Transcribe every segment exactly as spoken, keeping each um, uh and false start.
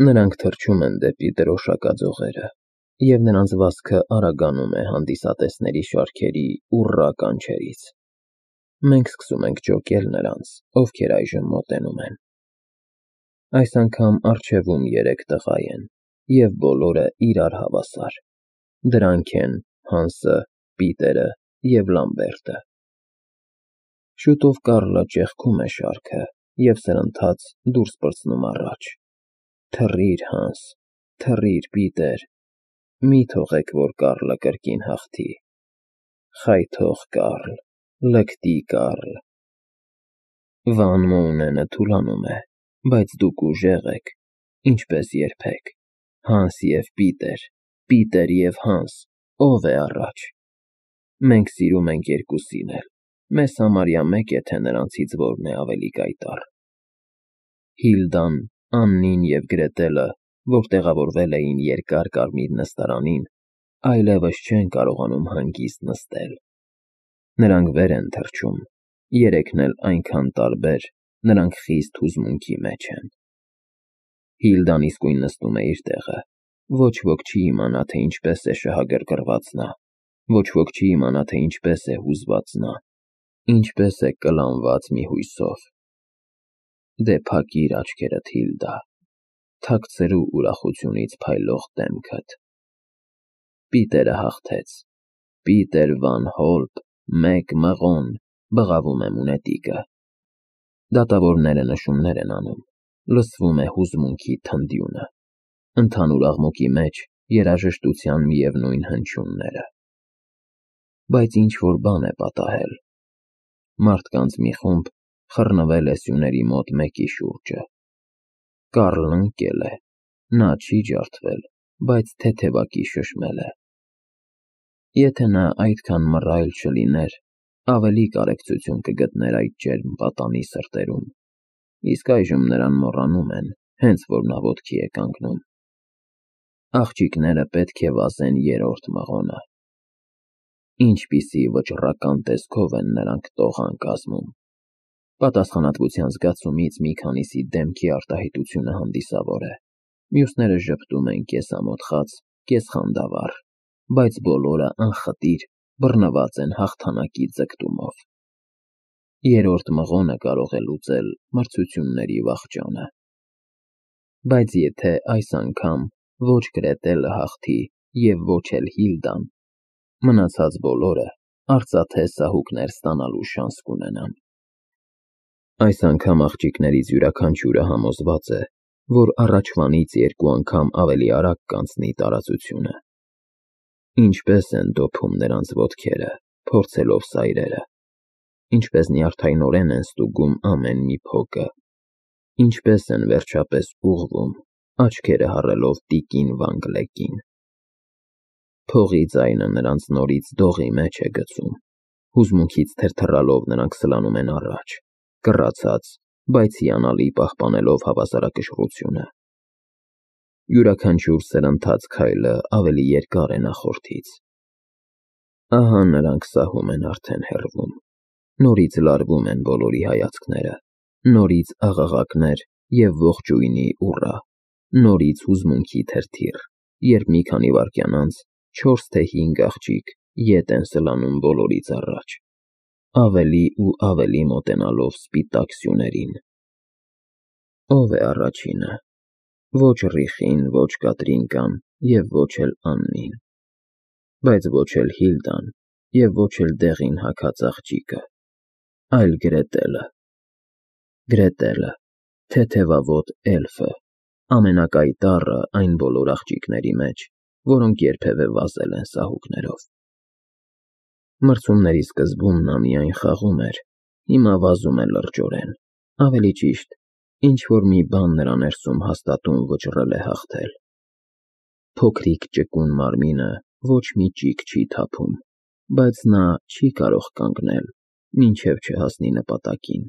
Նրանք թռչում են դեպի դրոշակաձողերը, և նրանց վազքը արագանում է հանդիսատեսների շարքերի ուռռա կանչերից։ Մենք սկսում ենք ջոկել նրանց, ովքեր այժմ մոտենում են։ Այս անգամ առջևում երեք տղա են, և բոլորը իրար հավասար։ Դրանք են Հանսը, Պիտերը և Լամբերտը։ Շուտով Կարլը ճեղքում է շարքը և սրընթաց դուրս պրծնում առաջ. Թռիր, Հանս, թռիր, Պիտեր, մի թողեք, որ Կարլը կրկին հաղթի։ Խայթող Կարլ, լկտի Կարլ։ Վան Մոունենը թուլանում է, բայց դուք ուժեղ եք, ինչպես երբեք։ Հանս և Պիտեր, Պիտեր և Հանս, ո՞վ է առաջ։ Մենք սիրում ենք երկուսին էլ, մեզ համարյա մեկ է, թե նրանցից որն է ավելի կայտառ։ Հիլդան, Աննին և Գրետելը, որ տեղավորվել էին երկար կարմիր նստարանին, այլևս չեն կարողանում հանգիստ նստել։ Նրանք վեր են թռչում, երեքն էլ այնքան տարբեր, նրանք խիստ հուզմունքի մեջ են։ Հիլդան իսկույն նստում է իր տեղը, ոչ ոք չի իմանա, թե ինչպես է շահագրգռված նա, ոչ ոք չի իմանա, թե ինչպես է հուզված նա, ինչպես է կլանված մի հույսով։ Դե փակիր աչքերդ, Հիլդա, թաքցրու ուրախությունից փայլող դեմքդ։ Պիտերը հաղթեց, Պիտեր Վան Հոլպ, մեկ մղոն, բղավում է մունետիկը։ Դատավորները նշումներ են անում, լսվում է հուզմունքի թնդյունը, ընդհանուր աղմուկի մեջ երաժշտության միևնույն հնչյունները։ Բայց ինչ-որ բան է պատահել։ Մարդկանց մի խումբ խռնվել է սյուների մոտ մեկի շուրջը։ Կարլն ընկել է, նա չի ջարդվել, բայց թեթևակի շշմել է։ Եթե նա այդքան մռայլ չլիներ, ավելի կարեկցություն կգտներ այդ ջերմ պատանի սրտերում, իսկ այժմ նրան մոռանում են, հենց որ նա ոտքի է կանգնում։ Աղջիկները պետք է վազեն երրորդ մղոնը։ Ինչպիսի վճռական տեսքով են նրանք տողան կազմում։ Պատասխանատվության զգացումից մի քանիսի դեմքի արտահայտությունը հանդիսավոր է, մյուսները ժպտում են կես-ամոթխած, կես-խանդավառ, բայց բոլորը անխտիր բռնված են հաղթանակի ձգտումով։ Երրորդ մղոնը կարող է լուծել մրցությունների վախճանը։ Բայց եթե այս անգամ ոչ Գրետելը հաղթի և ոչ էլ Հիլդան, մնացած բոլորը արծաթե սահուկներ ստանալու շանս կունենան։ Այս անգամ աղջիկներից յուրաքանչյուրը համոզված է, որ առաջվանից երկու անգամ ավելի արագ կանցնի տարածությունը։ Ինչպես են դոփում նրանց ոտքերը, փորձելով սայրերը, ինչպես նյարդայնորեն են ստուգում ամեն մի փոկը, ինչպես են վերջապես ուղղվում, աչքերը հառելով տիկին Վան Գլեկին։ Փողի ձայնը նրանց նորից դողի մեջ է գցում, հուզմունքից թրթռալով նրանք սլանում են առաջ, կռացած, բայց հիանալի պահպանելով հավասարակշռությունը։ Յուրաքանչյուր սրընթաց քայլը ավելի երկար է նախորդից։ Ահա նրանք սահում են արդեն հեռվում, նորից լարվում են բոլորի հայացքները, նորից աղաղակներ և ողջույնի ուռա, նորից հուզմունքի թրթիռ, երբ մի քանի վայրկյան անց չորս թե հինգ աղջիկ ետ են սլանում բոլորից առաջ, ավելի ու ավելի մոտենալով սպիտակ սյուներին։ Ո՞վ է առաջինը։ Ոչ Ռիխին, ոչ Կատրինկան և ոչ էլ Աննին, բայց ոչ էլ Հիլդան և ոչ էլ դեղին հագած աղջիկը, այլ Գրետելը։ Գրետելը, թեթևավոտ էլֆը, ամենակայտառը այն բոլոր աղջիկների մեջ, որոնք երբևէ վազել են սահուկներով։ Մրցումների սկզբում նա միայն խաղում էր, հիմա վազում է լրջորեն, ավելի ճիշտ, ինչ-որ մի բան նրա ներսում հաստատուն վճռել է հաղթել։ Փոքրիկ ճկուն մարմինը ոչ մի ճիգ չի թափում, բայց նա չի կարող կանգնել, մինչև չհասնի նպատակին։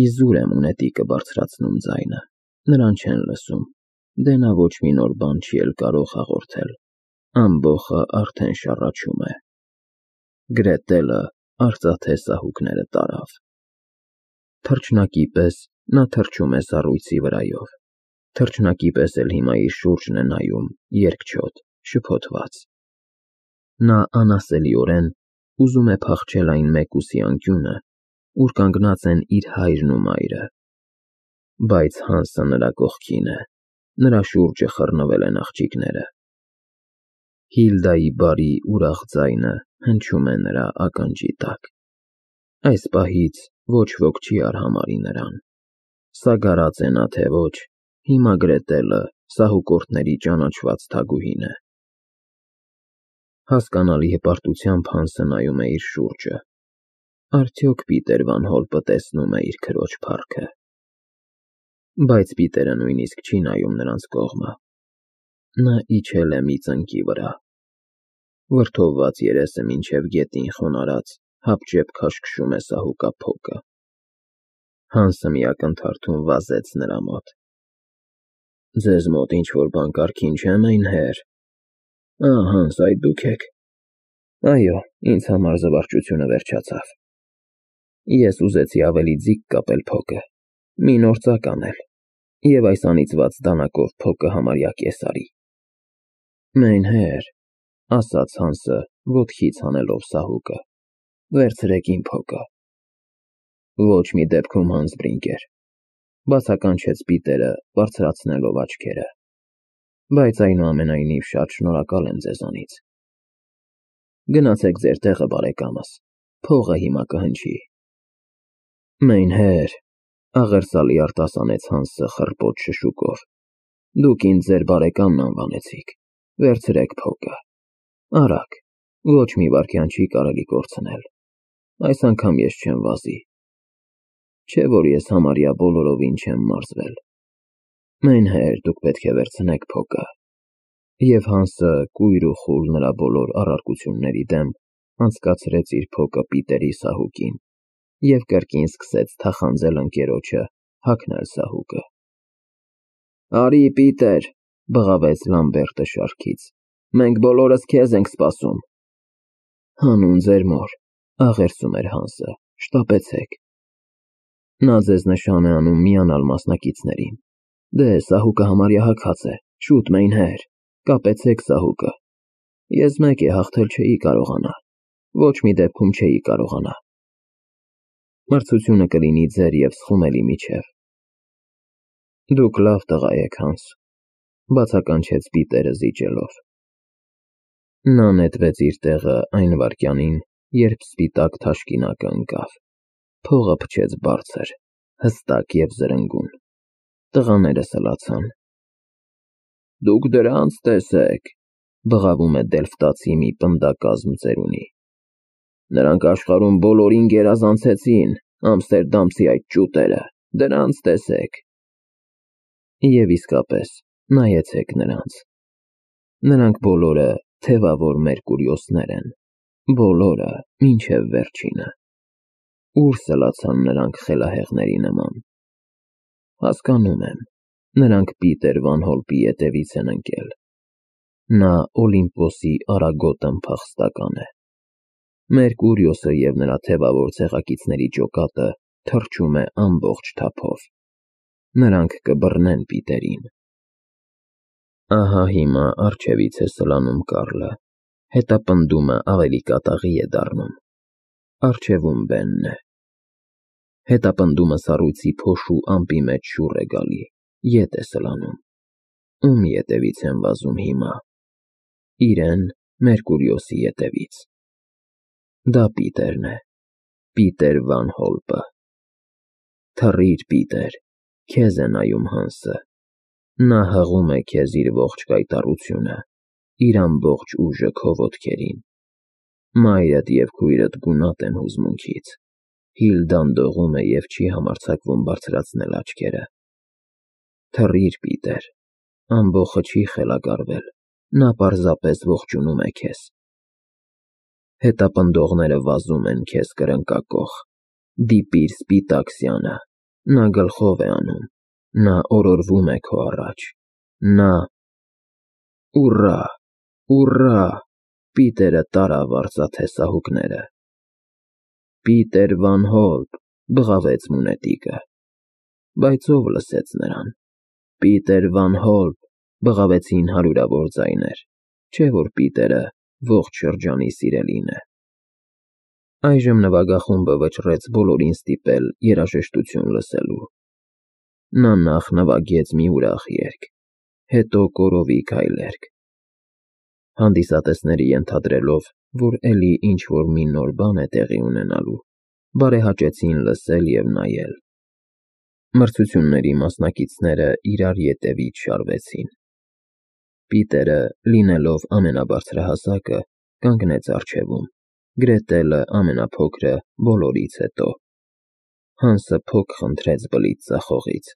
Իզուր է մունետիկը բարձրացնում ձայնը, նրան չեն լսում, դե նա ոչ մի նոր բան չի էլ կարող հաղորդել, ամբոխը արդեն շառաչում է։ Գրետելը արծաթե սահուկները տարավ։ Թռչնակի պես նա թռչում է սառույցի վրայով։ Թռչնակի պես էլ հիմա իր շուրջն է նայում, երկչոտ, շփոթված։ Նա անասելիորեն ուզում է փախչել այն մեկուսի անկյունը, ուր կանգնած են իր հայրն ու մայրը։ Բայց Հանսը նրա կողքին է, նրա շուրջը խռնվել են աղջիկները։ Հիլդայի բարի ուրախ ձայնը հնչում է նրա ականջի տակ։ Այս պահից ոչ ոք չի արհամարհի նրան։ Սագարած է նա թե ոչ, հիմա Գրետելը սահուկորդների ճանաչված թագուհին է։ Հասկանալի հպարտությամբ Հանսը նայում է իր շուրջը։ Արդյոք Պիտեր վան Հոլպը տեսնում է իր քրոջ փառքը։ Բայց Պիտերը նույնիսկ չի նայում նրանց կողմը։ Նա իջել է մի ծնկի վրա։ Վրդովված երեսը մինչև գետին խոնարհած, հապճեպ քաշքշում է սահուկա փոկը։ Հանսը մի ակնթարթում վազեց նրա մոտ։ Ձեզ մոտ ինչ-որ բան կարգին չէ՞, Մայնհեր։ Ա, Հանս, այդ դուք եք։ Այո, ինձ համար զվարճությունը վերջացավ։ Ես ուզեցի ավելի ձիգ կապել փոկը, մի նոր ծակ անել, և այս անիծված դանակով փոկը համարյա կես արի։ Մայնհեր, ասաց Հանսը, ոտքից հանելով սահուկը, վերցրեք իմ փոկը։ Ոչ մի դեպքում, Հանս Բրինկեր, բացականչեց Պիտերը, բարձրացնելով աչքերը, բայց այնուամենայնիվ շատ շնորհակալ եմ ձեզանից։ Գնացեք ձեր տեղը, բարեկամս, փողը հիմա կհնչի։ Մայնհեր, աղերսալի արտասանեց Հանսը խռպոտ շշուկով, դուք ինձ ձեր բարեկամն անվանեցիք, վերցրեք փոկը։ Արագ, ոչ մի վայրկյան չի կարելի կորցնել։ Այս անգամ ես չեմ վազի։ Չէ՞ որ ես համարյա բոլորովին չեմ մարզվել։ Մայնհեր, դուք պետք է վերցնեք փոկը։ Եվ Հանսը կույր ու խուլ նրա բոլոր առարկությունների դեմ անցկացրեց իր փոկը Պիտերի սահուկին և կրկին սկսեց թախանձել ընկերոջը, հագնել սահուկը։ Արի, Պիտեր, բղավեց Լամբերտը շարքից, մենք բոլորս քեզ ենք սպասում։ Հանուն ձեր մոր, աղերսում էր Հանսը, շտապեցեք։ Նա ձեզ նշան է անում միանալ մասնակիցներին։ Դե, սահուկը համարյա հագած է, շուտ, Մայնհեր, կապեցեք սահուկը։ Ես մեկ է հաղթել չէի կարողանա, ոչ մի դեպքում չէի կարողանա։ Մրցությունը կլինի ձեր և Սխումելի միջև։ Դուք լավ տղա եք, Հանս, բացականչեց Պիտերը զիջելով։ Նա նետվեց իր տեղը այն վայրկյանին, երբ սպիտակ թաշկինակը ընկավ։ Փողը փչեց բարձր, հստակ և զրնգուն։ Տղաները սլացան։ Դուք դրանց տեսեք, բղավում է դելֆտացի մի պնդակազմ ծերունի։ Նրանք աշխարհում բոլորին գերազանցեցին, ամստերդամցի այդ ճուտերը, դրանց տեսեք։ Եվ իսկապես, նայեցեք նրանց։ Նրանք բոլորը թևավոր Մերկուրիոսներ են, բոլորը մինչև վերջինը։ Ուր սլացան նրանք խելահեղների նման։ Հասկանում եմ, նրանք Պիտեր վան Հոլպի ետևից են ընկել։ Նա Օլիմպոսի արագոտն փախստական է։ Մերկուրիոսը և նրա թևավոր ցեղակիցների ջոկատը թռչում է ամբողջ թափով։ Նրանք կբռնեն Պիտերին։ Ահա հիմա առջևից է սլանում Կարլը, հետապնդումը ավելի կատաղի է դառնում։ Առջևում Բենն է։ Հետապնդումը սառույցի փոշու ամպի մեջ շուռ է գալի, ետ է սլանում։ Ում ետևից են վազում հիմա։ Իրեն, Մերկուրիոսի ետևից։ Դա Պիտերն է, Պիտեր վան Հոլպը։ Թռիր, Պիտեր, քեզ է նայում Հանսը։ Նա հղում է քեզ իր ողջ կայտառությունը, իր ամբողջ ուժը քո ոտքերին։ Մայրդ և քույրդ գունատ են հուզմունքից։ Հիլդան դողում է և չի համարձակվում բարձրացնել աչքերը։ Թռիր, Պիտեր, ամբոխը չի խելագարվել, նա պարզապես ողջունում է քեզ։ Հետապնդողները վազում են քեզ կրնկակոխ։ Դիպիր սպիտակ սյանը, նա գլխով է անում, նա օրորվում է քո առաջ, նա… Ուռա, ուռա, Պիտերը տարավ արծաթե սահուկները։ Պիտեր վան Հոլպ, բղավեց մունետիկը։ Բայց ով լսեց նրան։ Պիտեր Վան Հոլպ, բղավեցին հարյուրավոր ձայներ, չէ՞ որ Պիտերը ողջ շրջանի սիրելին է։ Այժմ նվագախումբը վճռեց բոլորին ստիպել երաժշտություն լսելու։ Նա նախ նվագեց մի ուրախ երգ, հետո կորովի քայլերգ, հանդիսատեսների ենթադրելով, որ էլի ինչ-որ մի նոր բան է տեղի ունենալու, բարեհաճեցին լսել և նայել։ Մրցությունների մասնակիցները իրար ետևից շարվեցին։ Պիտերը, լինելով ամենաբարձրահասակը, կանգնեց առջևում, Գրետելը ամենափոքրը բոլորից հետո։ Հանսը փոք խնդրեց բլիթ ձախողից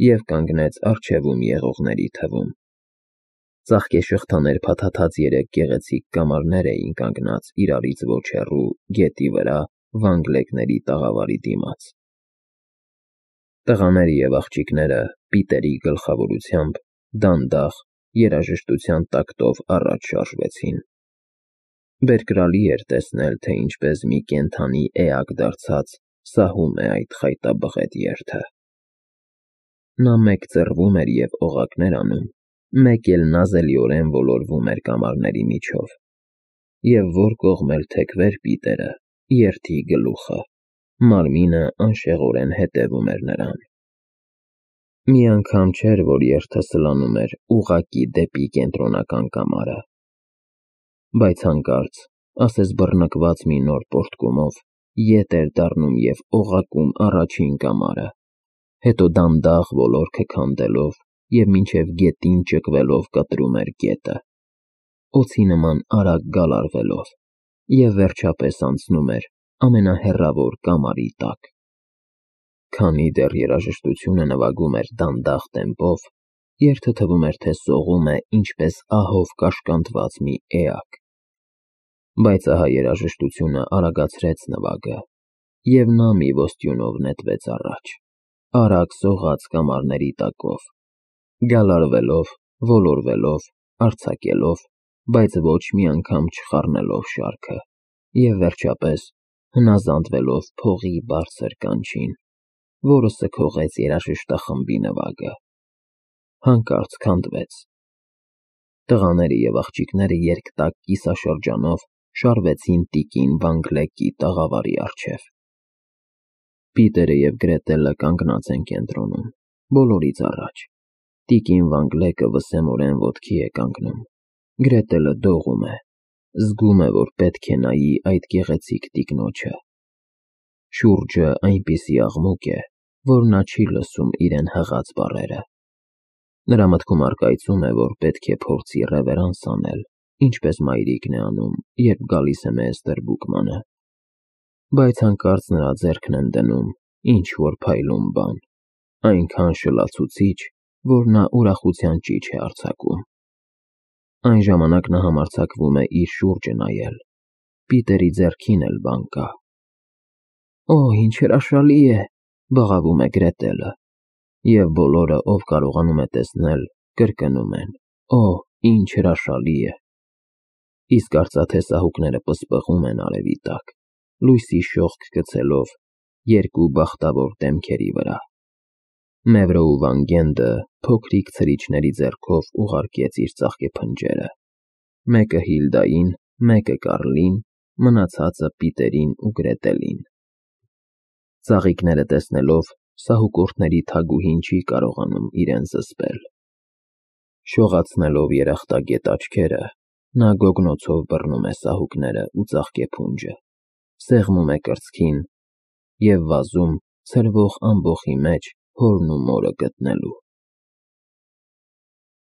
և կանգնեց առջևում եղողների թվում։ Ծաղկե շղթաներ փաթաթած երեք գեղեցիկ կամարներ էին կանգնած իրարից ոչ հեռու գետի վրա վանգլեկների տաղավարի դիմաց։ Տղաները և աղջիկները Պիտերի գլխավորությամբ դանդաղ երաժշտության տակտով առաջ շարժվեցին։ Բերկրալի էր տեսնել, թե ինչպես մի կենդանի էակ դարձած սահում է այդ խայտաբղետ երթը։ Նա մեկ ձեռվում էր և օղակներ անում, մեկ էլ նազելիորեն ոլորվում էր կամարների միջով, և որ կողմ էլ թեքվեր Պիտերը, երթի գլուխը, մարմինը անշեղորեն հետևում էր նրան։ Մի անգամ չէր, որ երթը սլանում էր ուղղակի դեպի կենտրոնական կամարը, բայց հանկարծ, ասես բռնկված մի նոր պոռթկումով, ետ էր դառնում և օղակում առաջին կամարը, հետո դանդաղ ոլորքը քանդելով և մինչև գետին ճկվելով կտրում էր գետը, օձի նման արագ գալարվելով, և վերջապես անցնում էր ամենահեռավոր կամարի տակ։ Քանի դեռ երաժշտությունը նվագում էր դանդաղ տեմպով, երթը թվում էր, թե սողում է ինչպես ահով կաշկանդված մի էակ։ Բայց ահա երաժշտությունը արագացրեց նվագը, և նա մի ոստյունով նետվեց առաջ, արագ սողաց կամարների տակով, գալարվելով, ոլորվելով, արձակելով, բայց ոչ մի անգամ չխառնելով շարքը, և վերջապես հնազանդվելով փողի բարձր կանչին, որը սգողեց երաժշտախմբի նվագը, հանկարծ քանդվեց։ Տղաները և աղջիկները երկտակ կիսաշրջանով շարվեցին տիկին Վանգլեկի տաղավարի առջև։ Պիտերը և Գրետելը կանգնած են կենտրոնում, բոլորից առաջ։ Տիկին Վանգլեկը վսեմորեն ոտքի է կանգնում, Գրետելը դողում է, զգում է, որ պետք է նայի այդ գեղեցիկ տիկնոջը։ Շուրջը այնպիսի աղմուկ է, որ նա չի լսում իրեն հղած բառերը։ Նրա մտքում առկայծում է, որ պետք է փորձի ռևերանս անել, ինչպես մայրիկն է անում, երբ գալիս է մեծ տրբուկմանը, բայց հանկարծ նրա ձեռքն են դնում ինչ-որ փայլուն բան, այնքան շլացուցիչ, որ նա ուրախության ճիչ է արձակում։ Այն ժամանակ նա համարձակվում է իր շուրջը նայել, Պիտերի ձեռքին էլ բան կա։ Օ, ինչ հրաշալի է, բղավում է Գրետելը, և բոլորը, ով կարողանում է տեսնել, կրկնում են. Օ, ինչ հրաշալի է։ Իսկ արծաթե սահուկները պսպղում են արևի տակ, լույսի շողք գցելով երկու բախտավոր դեմքերի վրա։ Մևրը ու Վանգենդը փոքրիկ ցրիչների ձեռքով ուղարկեց իր ծաղկե փնջերը, մեկը Հիլդային, մեկը Կարլին, մնացածը Պիտերին ու Գրետելին։ Ծաղիկները տեսնելով, սահուկորդների թագուհին չի կարողանում իրեն զսպել։ Շողացնելով երախտագետ աչքերը, նա գոգնոցով բռնում է սահուկները ու ծաղկե փունջը, սեղմում է կրծքին և վազում ցրվող ամբոխի մեջ հորն ու մորը գտնելու։